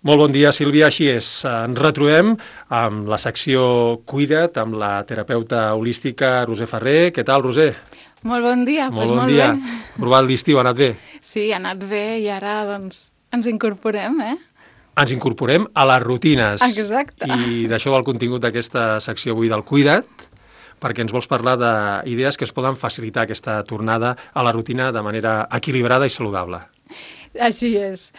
Molt bon dia, Sílvia. Així és, ens retrobem amb la secció Cuida't, amb la terapeuta holística Roser Ferrer. Què tal, Roser? Molt bon dia, Molt doncs bon molt dia. bé. Aprovat l'estiu, ha anat bé? Sí, ha anat bé i ara doncs ens incorporem, Ens incorporem a les rutines. Exacte. I d'això va el contingut d'aquesta secció avui del Cuida't, perquè ens vols parlar d'idees que es poden facilitar aquesta tornada a la rutina de manera equilibrada i saludable. Així és.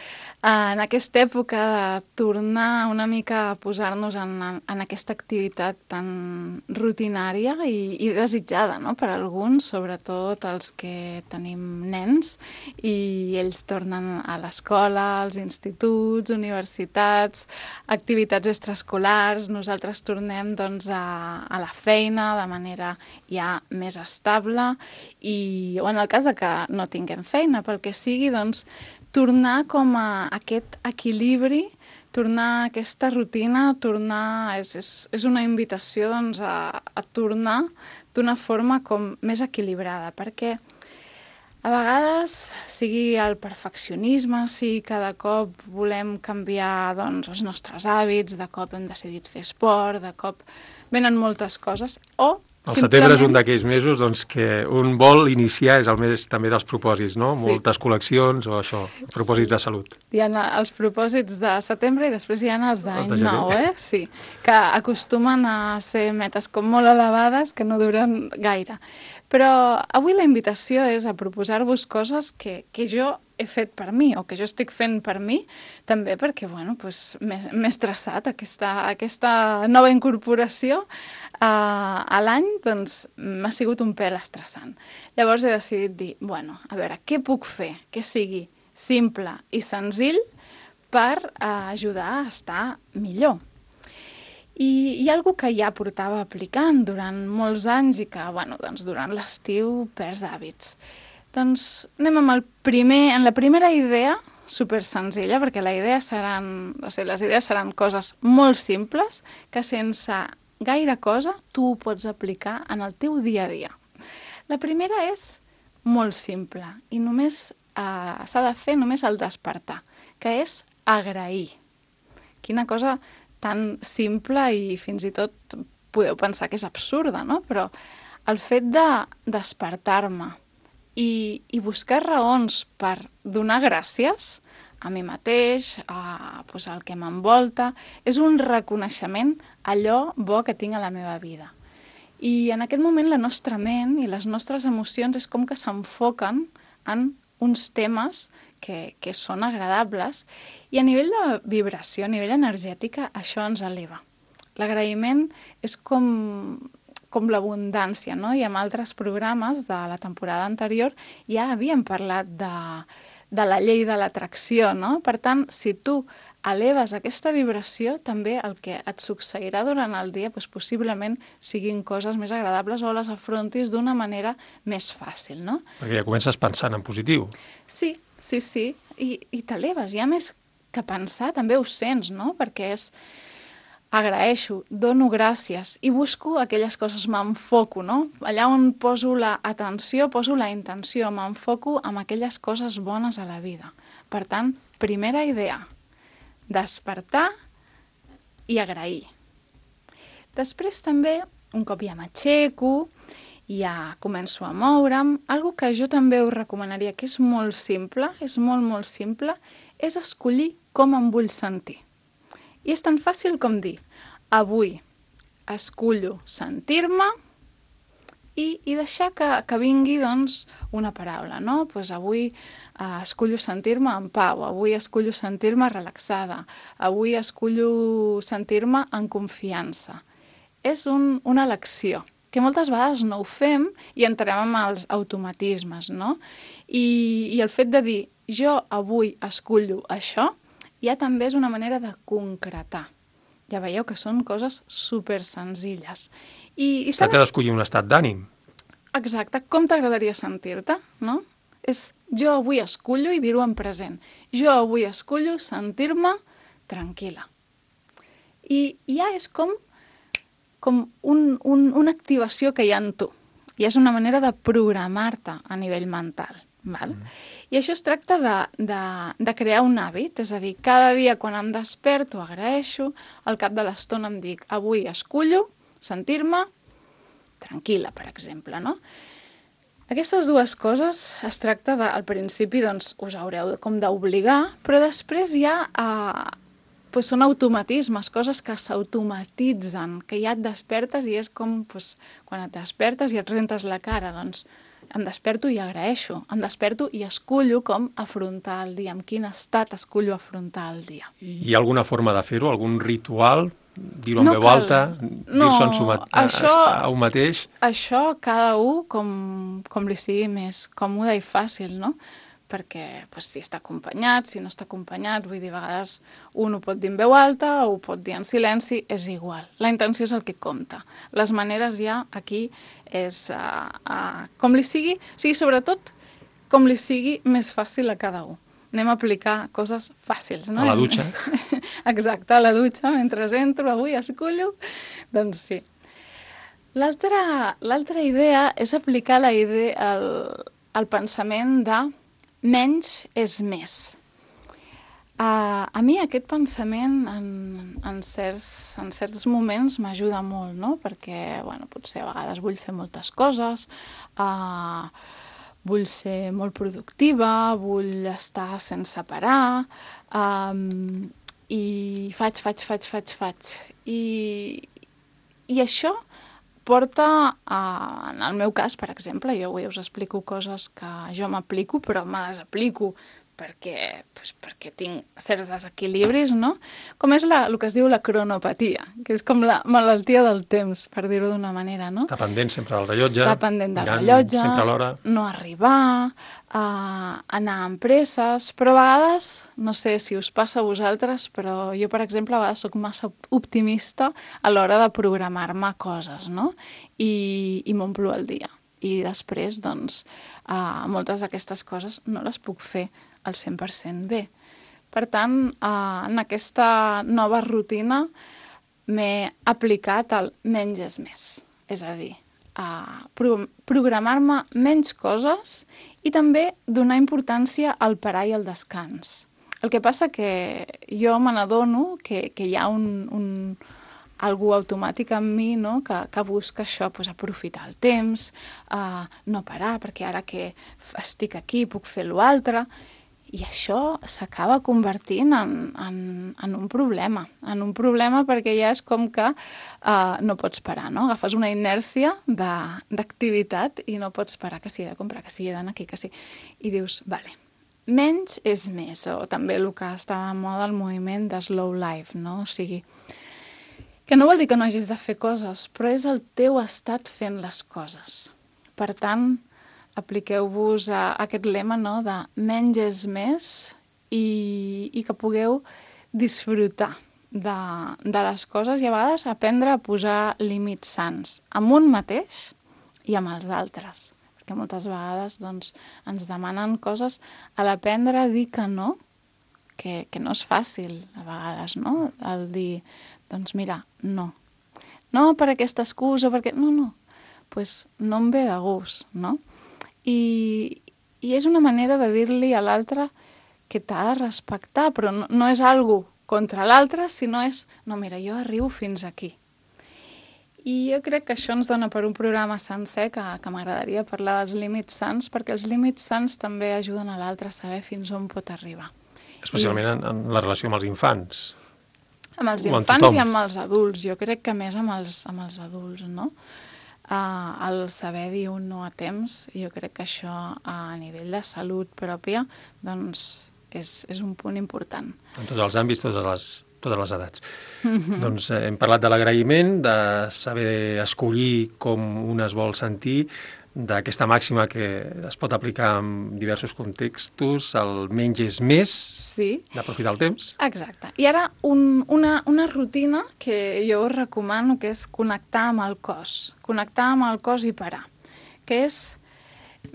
En aquesta època de tornar una mica a posar-nos en aquesta activitat tan rutinària i desitjada, no?, per alguns, sobretot els que tenim nens, i ells tornen a l'escola, als instituts, universitats, activitats extraescolars, nosaltres tornem doncs, a la feina de manera ja més estable o en el cas de que no tinguem feina, pel que sigui, doncs, tornar com a aquest equilibri, tornar a aquesta rutina, és una invitació doncs, a tornar d'una forma com més equilibrada, perquè a vegades, sigui el perfeccionisme, si cada cop volem canviar doncs, els nostres hàbits, de cop hem decidit fer esport, de cop venen moltes coses, o el setembre és un d'aquells mesos doncs, que un vol iniciar, és el mes també dels propòsits, no? Sí. Moltes col·leccions o això, propòsits de salut. Hi ha els propòsits de setembre i després hi ha els d'any nou, Sí, que acostumen a ser metes com molt elevades que no duren gaire. Però avui la invitació és a proposar-vos coses que jo he fet per mi o que jo estic fent per mi, també perquè bueno, doncs, m'he estressat aquesta nova incorporació a l'any, doncs m'ha sigut un pèl estressant. Llavors he decidit dir, bueno, a veure, què puc fer que sigui simple i senzill per ajudar a estar millor. I hi ha alguna que ja portava aplicant durant molts anys i que, bueno, doncs durant l'estiu perds hàbits. Doncs anem amb la primera idea, super senzilla, perquè les idees seran coses molt simples que sense gaire cosa tu ho pots aplicar en el teu dia a dia. La primera és molt simple i només s'ha de fer només al despertar, que és agrair. Quina cosa tan simple i fins i tot podeu pensar que és absurda, no? Però el fet de despertar-me i buscar raons per donar gràcies a mi mateix, al que m'envolta, és un reconeixement allò bo que tinc a la meva vida. I en aquest moment la nostra ment i les nostres emocions és com que s'enfoquen en uns temes que són agradables i a nivell de vibració, a nivell energètica, això ens eleva. L'agraïment és com l'abundància, no? I en altres programes de la temporada anterior ja havíem parlat de la llei de l'atracció, no? Per tant, si tu eleves aquesta vibració, també el que et succeirà durant el dia doncs possiblement siguin coses més agradables o les afrontis d'una manera més fàcil, no? Perquè ja comences pensant en positiu. Sí, i t'eleves, ja més que pensar, també ho sents, no? Perquè és agraeixo, dono gràcies i busco aquelles coses, m'enfoco, no? Allà on poso l'atenció, poso la intenció, m'enfoco en aquelles coses bones a la vida. Per tant, primera idea, despertar i agrair. Després també, un cop ja m'aixeco, ja començo a moure'm, algo que jo també us recomanaria, que és molt simple, és molt simple, és escollir com em vull sentir. I és tan fàcil com dir, avui escullo sentir-me i deixar que vingui doncs, una paraula, no? Pues avui escullo sentir-me en pau, avui escullo sentir-me relaxada, avui escullo sentir-me en confiança. És una elecció, que moltes vegades no ho fem i entrem en els automatismes, no? I el fet de dir, jo avui escullo això, ja també és una manera de concretar. Ja veieu que són coses super senzilles. Es tracta d'escollir un estat d'ànim. Exacte, com t'agradaria sentir-te, no? És jo avui escullo i dir-ho en present. Jo avui escullo sentir-me tranquil·la. I ja és com una activació que hi ha en tu. I és una manera de programar-te a nivell mental. Val? I això es tracta de crear un hàbit, és a dir, cada dia quan em desperto agraeixo, al cap de l'estona em dic avui escullo sentir-me tranquil·la, per exemple, no? Aquestes dues coses es tracta de, al principi, doncs, us haureu com d'obligar, però després ja doncs són automatismes, coses que s'automatitzen, que ja et despertes i és com quan et despertes i et rentes la cara, doncs em desperto i agraeixo, em desperto i escullo com afrontar el dia, amb quin estat escullo afrontar el dia. Hi ha alguna forma de fer-ho, algun ritual? Dir-ho en veu alta? Dir-s'ho a un mateix? Això cada un com li sigui més còmode i fàcil, no? Perquè si està acompanyat, si no està acompanyat, vull dir, a vegades un ho pot dir en veu alta o ho pot dir en silenci, és igual. La intenció és el que compta. Les maneres ja aquí és com li sigui, o sigui, sobretot com li sigui més fàcil a cada un. Anem a aplicar coses fàcils, no? A la dutxa. Exacte, a la dutxa, mentre entro, avui escullo, doncs sí. L'altra idea és aplicar el pensament de menys és més. A mi aquest pensament en certs moments m'ajuda molt, no? Perquè, potser a vegades vull fer moltes coses, vull ser molt productiva, vull estar sense parar, i faig. I això porta, en el meu cas, per exemple, jo avui us explico coses que jo m'aplico, però me les aplico perquè tinc certs desequilibris, no? Com és el que es diu la cronopatia, que és com la malaltia del temps, per dir-ho d'una manera, no? Està pendent sempre del rellotge. Està pendent del rellotge, sempre a l'hora. No arribar, anar amb presses, però a vegades, no sé si us passa a vosaltres, però jo, per exemple, a vegades soc massa optimista a l'hora de programar-me coses, no? I m'omplo el dia. I després, doncs, moltes d'aquestes coses no les puc fer al 100% bé. Per tant, en aquesta nova rutina m'he aplicat el menys és més. És a dir, programar-me menys coses i també donar importància al parar i al descans. El que passa que jo me n'adono que hi ha algú automàtic en mi, no? que busca això, aprofitar el temps, no parar, perquè ara que estic aquí puc fer l'altre. I això s'acaba convertint en un problema. En un problema perquè ja és com que no pots parar, no? Agafes una inèrcia d'activitat i no pots parar, que si he de comprar, que si he d'anar aquí, que sí. I dius, vale, menys és més, o també el que està de moda el moviment de slow life, no? O sigui, que no vol dir que no hagis de fer coses, però és el teu estat fent les coses. Per tant, apliqueu-vos aquest lema, no?, de menys és més i que pugueu disfrutar de les coses i a vegades aprendre a posar límits sans amb un mateix i amb els altres. Perquè moltes vegades doncs, ens demanen coses a l'aprendre a dir que no és fàcil a vegades, no? El dir, doncs mira, no. No per aquesta excusa, perquè no. Pues no em ve de gust, no? I és una manera de dir-li a l'altre que t'ha de respectar, però no és algo contra l'altre, sinó és, no, mira, jo arribo fins aquí. I jo crec que això ens dona per un programa sencer que m'agradaria parlar dels límits sans, perquè els límits sans també ajuden a l'altre a saber fins on pot arribar. Especialment en la relació amb els infants. Amb els infants i amb els adults. Jo crec que més amb els adults, no? El saber dir un no a temps, jo crec que això a nivell de salut pròpia doncs és un punt important. En tots els àmbits, totes les edats. Doncs hem parlat de l'agraïment, de saber escollir com un es vol sentir, d'aquesta màxima que es pot aplicar en diversos contextos, el menys és més, sí, d'aprofitar el temps. Exacte. I ara una rutina que jo us recomano, que és connectar amb el cos i parar, que és,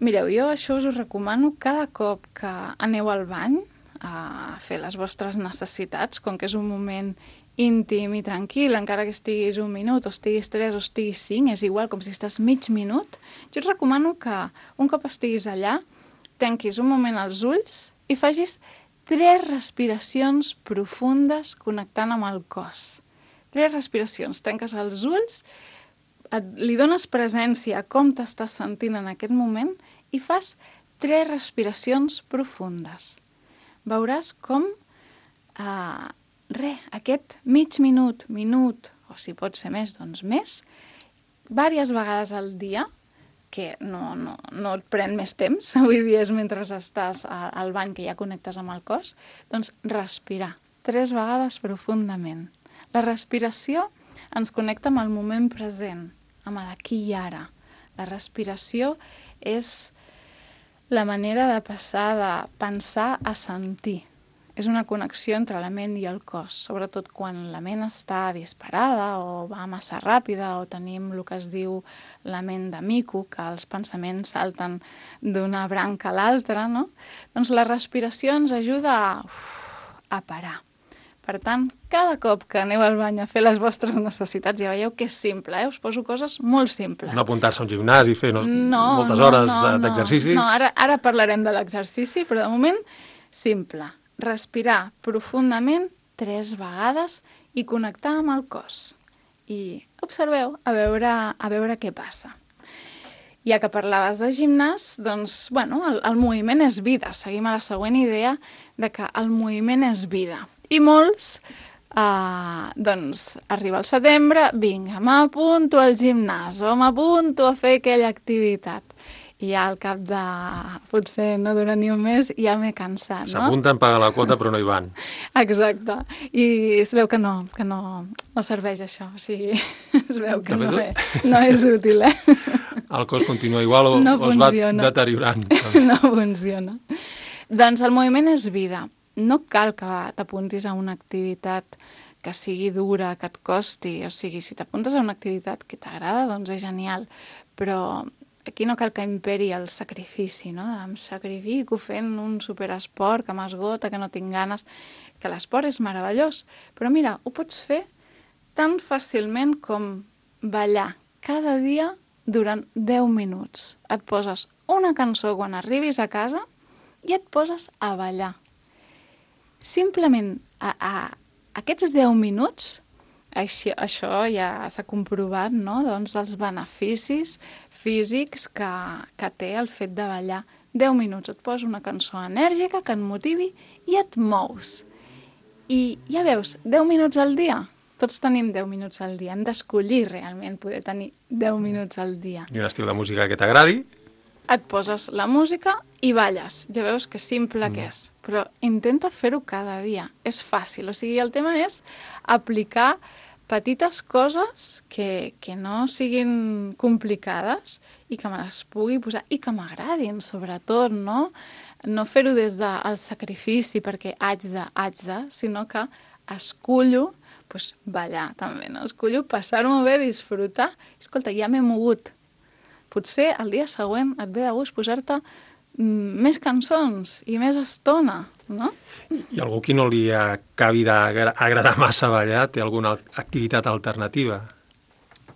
mireu, jo això us ho recomano cada cop que aneu al bany a fer les vostres necessitats, com que és un moment íntim i tranquil, encara que estiguis 1 minut, o estiguis 3, o estiguis 5, és igual, com si estàs mig minut. Jo et recomano que un cop estiguis allà, tanquis un moment els ulls i facis 3 respiracions profundes connectant amb el cos. 3 respiracions. Tanques els ulls, li dones presència a com t'estàs sentint en aquest moment i fas 3 respiracions profundes. Veuràs com aquest mig minut, o si pot ser més, doncs més, diverses vegades al dia, que no et pren més temps, vull dir, és mentre estàs al bany que ja connectes amb el cos, doncs respirar 3 vegades profundament. La respiració ens connecta amb el moment present, amb l'aquí i ara. La respiració és la manera de passar de pensar a sentir. És una connexió entre la ment i el cos, sobretot quan la ment està disparada o va massa ràpida o tenim el que es diu la ment de mico, que els pensaments salten d'una branca a l'altra, no? Doncs la respiració ens ajuda a parar. Per tant, cada cop que aneu al bany a fer les vostres necessitats, ja veieu que és simple, Us poso coses molt simples. No apuntar-se a un gimnàs i fer moltes hores d'exercicis. No, ara parlarem de l'exercici, però de moment, simple. Respirar profundament 3 vegades i connectar amb el cos. I observeu a veure què passa. Ja que parlaves de gimnàs, doncs, el moviment és vida. Seguim a la següent idea de que el moviment és vida. I molts, arriba el setembre, vinga, m'apunto al gimnàs o m'apunto a fer aquella activitat. I ja al cap de, potser no dura ni un mes, ja m'he cansat, no? S'apunten, paguen la quota, però no hi van. Exacte. I es veu que no serveix això. O sigui, es veu que no és útil, El cos continua igual o es va deteriorant. No funciona. Doncs el moviment és vida. No cal que t'apuntis a una activitat que sigui dura, que et costi. O sigui, si t'apuntes a una activitat que t'agrada, doncs és genial. Però aquí no cal que imperi el sacrifici, no? Em sacrifico fent un superesport que m'esgota, que no tinc ganes, que l'esport és meravellós. Però mira, ho pots fer tan fàcilment com ballar cada dia durant 10 minuts. Et poses una cançó quan arribis a casa i et poses a ballar. Simplement aquests 10 minuts, això ja s'ha comprovat, no? Doncs els beneficis físics que té el fet de ballar. 10 minuts, et posa una cançó enèrgica que et motivi i et mous. I ja veus, 10 minuts al dia. Tots tenim 10 minuts al dia. Hem d'escollir realment poder tenir 10 minuts al dia. I un estil de música que t'agradi. Et poses la música i balles. Ja veus que simple que és. Però intenta fer-ho cada dia. És fàcil. O sigui, el tema és aplicar petites coses que no siguin complicades i que me les pugui posar i que m'agradin, sobretot, no? No fer-ho des del sacrifici perquè haig de, sinó que escullo ballar també, no? Escullo passar-m'ho bé, disfrutar. Escolta, ja m'he mogut. Potser el dia següent et ve de gust posar-te més cançons i més estona, no? I algú que no li acabi d'agradar massa ballar té alguna activitat alternativa?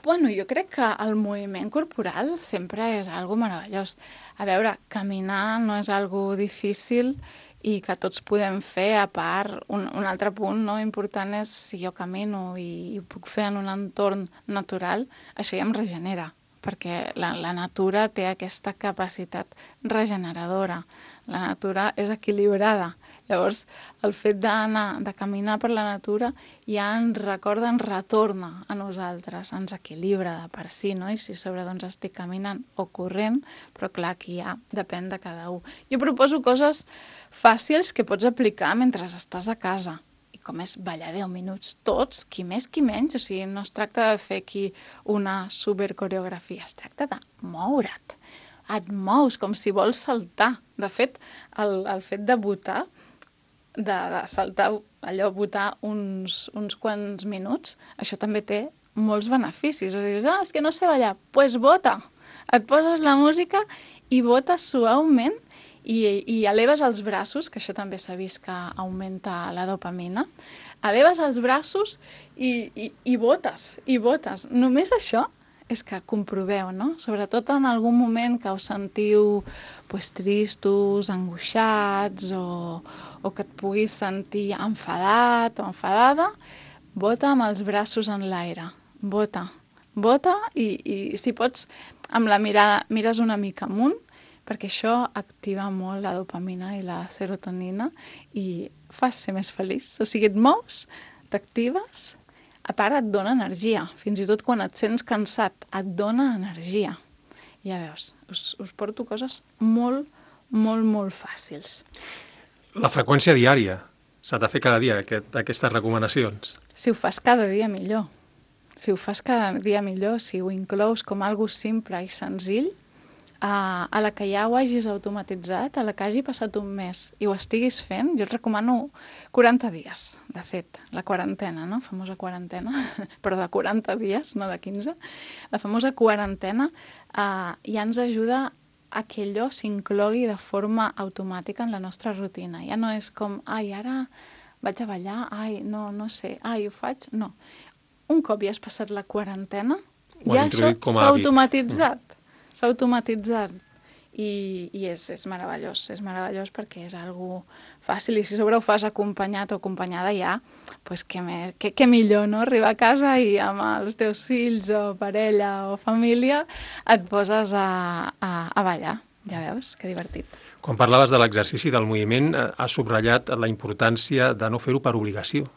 Jo crec que el moviment corporal sempre és algo meravellós. A veure, caminar no és algo difícil i que tots podem fer, a part, un altre punt important és si jo camino i ho puc fer en un entorn natural, això ja em regenera, perquè la natura té aquesta capacitat regeneradora. La natura és equilibrada. Llavors, el fet de caminar per la natura ja ens recorda, ens retorna a nosaltres, ens equilibra de per si, no? I si sobre estic caminant o corrent, però clar, aquí ja depèn de cada un. Jo proposo coses fàcils que pots aplicar mentre estàs a casa. I com és ballar 10 minuts tots, qui més, qui menys. O sigui, no es tracta de fer aquí una supercoreografia, es tracta de moure't. Et mous com si vols saltar. De fet, el fet de botar, de saltar, allò, botar uns quants minuts, això també té molts beneficis. O dius, és que no sé ballar, doncs bota. Et poses la música i botes suaument i eleves els braços, que això també s'ha vist que augmenta la dopamina. Eleves els braços i botes, i botes. Només això és que comproveu, no? Sobretot en algun moment que us sentiu tristos, angoixats o que et puguis sentir enfadat o enfadada, bota amb els braços en l'aire. Bota i si pots, amb la mirada, mires una mica amunt, perquè això activa molt la dopamina i la serotonina i fas ser més feliç. O sigui, et mous, t'actives, a part et dona energia. Fins i tot quan et sents cansat, et dona energia. Ja veus, us porto coses molt, molt, molt fàcils. La freqüència diària. S'ha de fer cada dia aquestes recomanacions. Si ho fas cada dia, millor. Si ho fas cada dia millor, si ho inclous com algo simple i senzill, a la que ja ho hagis automatitzat, a la que hagi passat un mes i ho estiguis fent, jo et recomano 40 dies, de fet, la quarantena, no? Famosa quarantena, però de 40 dies, no de 15. La famosa quarantena ja ens ajuda a que allò s'inclogui de forma automàtica en la nostra rutina. Ja no és com, ara vaig a ballar, no sé, ho faig... No. Un cop ja has passat la quarantena, ja això s'ha automatitzat. S'ha automatitzat i és meravellós perquè és algo fàcil i si sobre ho fas acompanyat o acompanyada ja, doncs què millor, no? Arribar a casa i amb els teus fills o parella o família et poses a ballar, ja veus, que divertit. Quan parlaves de l'exercici del moviment, has subratllat la importància de no fer-ho per obligació.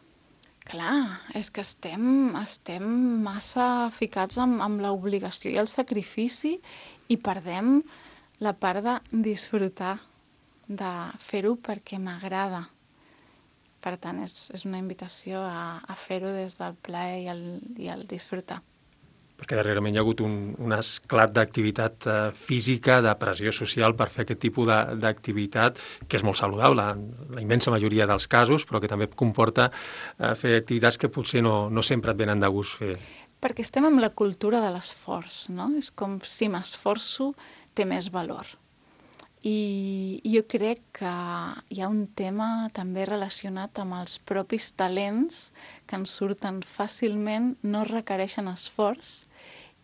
Clar, és que estem massa ficats amb l'obligació i el sacrifici i perdem la part de disfrutar, de fer-ho perquè m'agrada. Per tant, és una invitació a fer-ho des del plaer i el disfrutar. Perquè darrerament hi ha hagut un esclat d'activitat física, de pressió social per fer aquest tipus d'activitat, que és molt saludable en la immensa majoria dels casos, però que també comporta fer activitats que potser no sempre et venen de gust fer. Perquè estem amb la cultura de l'esforç, no? És com si m'esforço té més valor. I jo crec que hi ha un tema també relacionat amb els propis talents que ens surten fàcilment, no requereixen esforç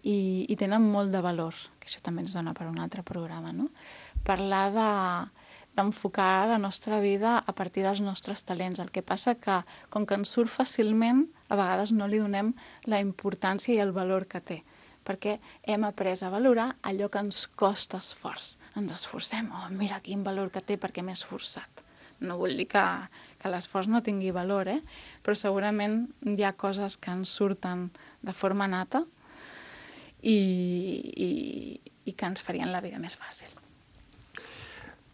i tenen molt de valor, que això també ens dona per un altre programa, no? Parlar d'enfocar la nostra vida a partir dels nostres talents. El que passa que, com que ens surt fàcilment, a vegades no li donem la importància i el valor que té, perquè hem après a valorar allò que ens costa esforç. Ens esforcem, mira quin valor que té perquè m'he esforçat. No vull dir que l'esforç no tingui valor, però segurament hi ha coses que ens surten de forma nata i que ens farien la vida més fàcil.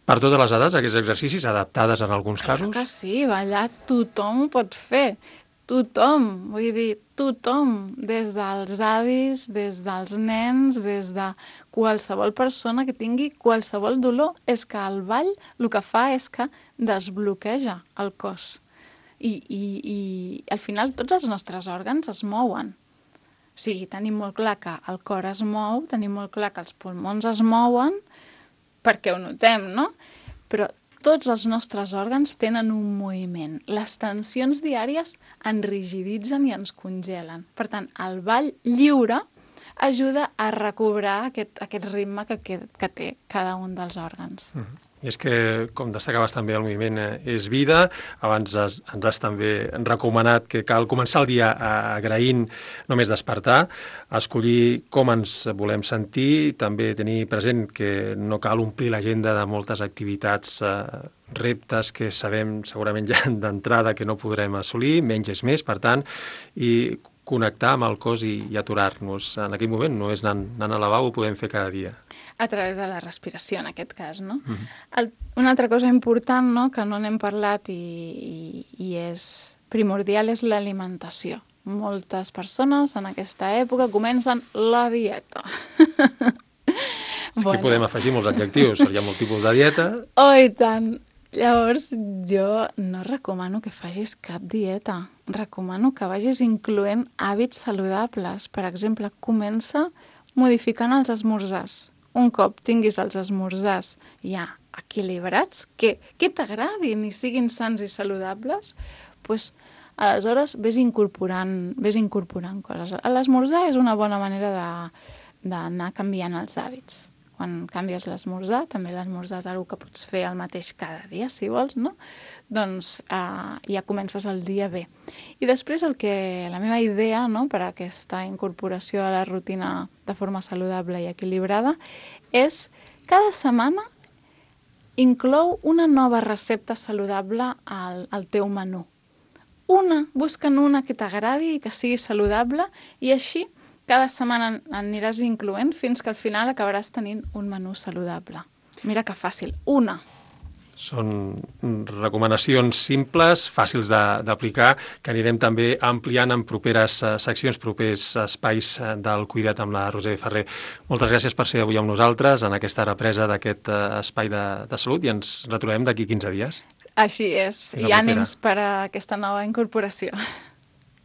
Per totes les edats, aquests exercicis adaptades en alguns casos? Clar que sí, ballar tothom ho pot fer. Tothom, vull dir, tothom, des dels avis, des dels nens, des de qualsevol persona que tingui qualsevol dolor. És que el ball el que fa és que desbloqueja el cos. I al final tots els nostres òrgans es mouen. O sigui, tenim molt clar que el cor es mou, tenim molt clar que els pulmons es mouen, perquè ho notem, no? Però tots els nostres òrgans tenen un moviment. Les tensions diàries ens rigiditzen i ens congelen. Per tant, el ball lliure ajuda a recobrar aquest ritme que té cada un dels òrgans. I és que, com destacaves també, el moviment és vida. Abans ens has també recomanat que cal començar el dia agraint només despertar, escollir com ens volem sentir, també tenir present que no cal omplir l'agenda de moltes activitats, reptes que sabem segurament ja d'entrada que no podrem assolir, menys és més, per tant, i connectar amb el cos i aturar-nos en aquell moment. No és anant al lavabo, ho podem fer cada dia. A través de la respiració, en aquest cas, no? Una altra cosa important, no?, que no n'hem parlat i és primordial és l'alimentació. Moltes persones en aquesta època comencen la dieta. Aquí podem afegir molts adjectius, hi ha molt tipus de dieta. Oh, i tant! Llavors, jo no recomano que facis cap dieta. Recomano que vagis incloent hàbits saludables. Per exemple, comença modificant els esmorzars. Un cop tinguis els esmorzars ja equilibrats, que t'agradin i siguin sants i saludables, doncs aleshores vés incorporant coses. L'esmorzar és una bona manera d'anar canviant els hàbits. Quan canvies l'esmorzar, també l'esmorzar és una cosa que pots fer el mateix cada dia, si vols, no? Doncs ja comences el dia bé. I després la meva idea, no, per a aquesta incorporació a la rutina de forma saludable i equilibrada és cada setmana inclou una nova recepta saludable al teu menú. Busca'n una que t'agradi i que sigui saludable i així cada setmana aniràs incloent fins que al final acabaràs tenint un menú saludable. Mira que fàcil. Una. Són recomanacions simples, fàcils d'aplicar, que anirem també ampliant en properes seccions, propers espais del Cuida't amb la Roser Ferrer. Moltes gràcies per ser avui amb nosaltres en aquesta represa d'aquest espai de salut i ens retrobem d'aquí 15 dies. Així és. I ànims per a aquesta nova incorporació.